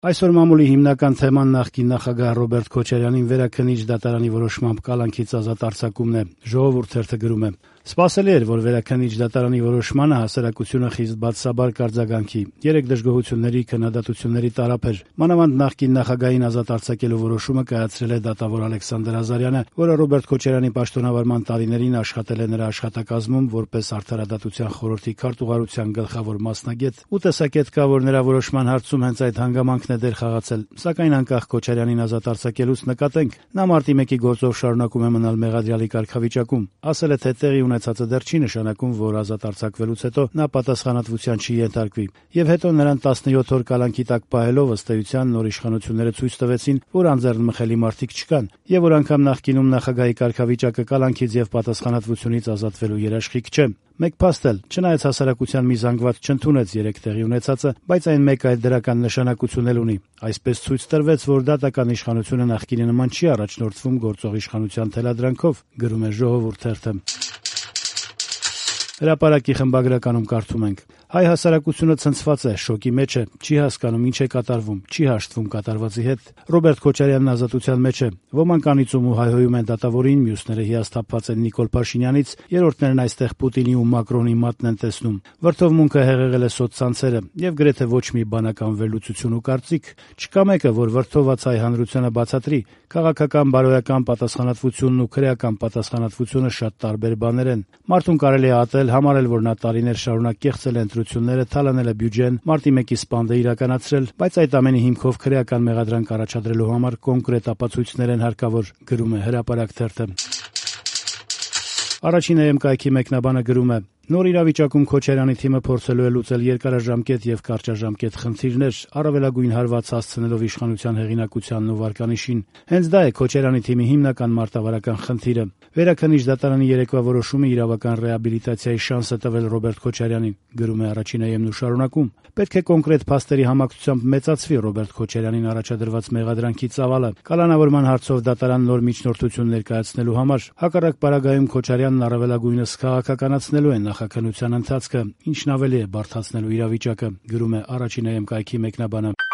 Այսօր մամուլի հիմնական թեման նախկին նախագահ Ռոբերտ Քոչարյանին վերաքննիչ դատարանի որոշմամբ կալանքից ազատ արձակումն է։ Ժողովուրդ թերթը գրում է. Սպասելի էր, որ վերաքննիչ դատարանի որոշմանը հասարակությունը խիստ բացասաբար կարձագանքի։ 3 դժգոհությունների, քննադատությունների տարափ էր։ Մանավանդ նախկին նախագահին ազատ արձակելու որոշումը կայացրել է դատավոր Ալեքսանդր Ազարյանը, որը Ռոբերտ Քոչարյանի պաշտոնավարման տարիներին աշխատել է նրա աշխատակազմում որպես Արդարադատության խորհրդի քարտուղարության գլխավոր մասնագետ, ու տեսակետ կա, որ նրա որոշման հարցում հենց այդ հանգամանքն է դեր խաղացել։ Սակայն անկախ Քոչարյանին ազատ արձակելուց նկատենք, նա մարտի 1-ի գործով շարունակում է մնալ մեղադրյալի կարգավիճակում։ Ասել է, թե տեղի ունեցածը դեռ չի նշանակում, որ ազատ արձակվելուց հետո նա պատասխանատվության չի ենթարկվի։ Եվ հետո նրան 17 օր կալանքի տակ պահելով ըստ էության նոր իշխանությունները ցույց տվեցին, որ անձեռնմխելի մարդիկ չկան, եւ որ անգամ նախկինում նախագահի կարգավիճակը կալանքից եւ պատասխանատվությունից ազատվելու երաշխիք չէ։ Մեկ փաստ էլ, չնայած հասարակության մի զանգված չընդունեց 3 տեղի ունեցածը, բայց այն մեկ այլ դրական նշանակություն էլ ունի։ Այսպես ցույց տրվեց, որ դատական իշխանությունը նախկինի նման չի առաջնորդվում գործող իշխանության թելադրանքով, գրում է Ժողովուրդ թերթը։ Հրապարակի խմբագրականում կարդում ենք. հայ հասարակությունը ցնցված է, շոկի մեջ է, չի հասկանում ինչ է կատարվում, չի հաշտվում կատարվածի հետ։ Ռոբերտ Քոչարյանն ազատության մեջ է։ Ոմանք անիծում ու հայհոյում են դատավորին, մյուսները հիասթափված են Նիկոլ Փաշինյանից, երրորդներն այստեղ Պուտինի ու Մակրոնի մատն են տեսնում։ Վրդովմունքը հեղեղել է սոցցանցերը եւ գրեթե ոչ մի բանական վերլուծություն ու կարծիք չկա մեկը, որ վրդոված հայ հանրությանը բացատրի։ Քաղաքական, բարոյական պատասխանատվությունն ու քրեական պատասխանատվությունը շատ տարբեր բաներ են։ Մարդուն կարելի է ատել, համարել, որ նա տարիներ շարունակ կեղծել է ընտրությունները, թալանել է բյուջեն, մարտի 1-ի սպանդը իրականացրել, բայց այդ ամենի հիմքով քրեական մեղադրանք առաջադրելու համար կոնկրետ ապացույցներ են հարկավոր, գրում է Հրապարակ թերթը։ Առաջին ԵՄԿ-ի մեկնաբանը գրում է. Նոր իրավիճակում Քոչարյանի թիմը փորձելու է լուծել երկարաժամկետ եւ կարճաժամկետ խնդիրներ, առավելագույն հարված հասցնելով իշխանության հեղինակությանն ու վարկանիշին։ Հենց դա է Քոչարյանի թիմի հիմնական մարտավարական խնդիրը։ Վերաքննիչ դատարանի երեկվա որոշումը իրավական ռեաբիլիտացիայի շանս է տվել Ռոբերտ Քոչարյանին, գրում է Առաջին ԵՄ-ն ու շարունակում. պետք է կոնկրետ փաստերի համակցությամբ մեծացվի Ռոբերտ Քոչարյանին առաջադրված մեղադրանքի ծավալը, կալանավորման հարցով դատարան նոր միջնորդություն ներկայացնելու համար։ Հակառակ պարագայում Քոչարյանն առավելագույնս քաղաքականացնելու է նախաքննության ընթացքը, ինչն ավելի է բարդացնելու իրավիճակը, գրում է Առաջին ԵՄ-ի մեկնաբանը։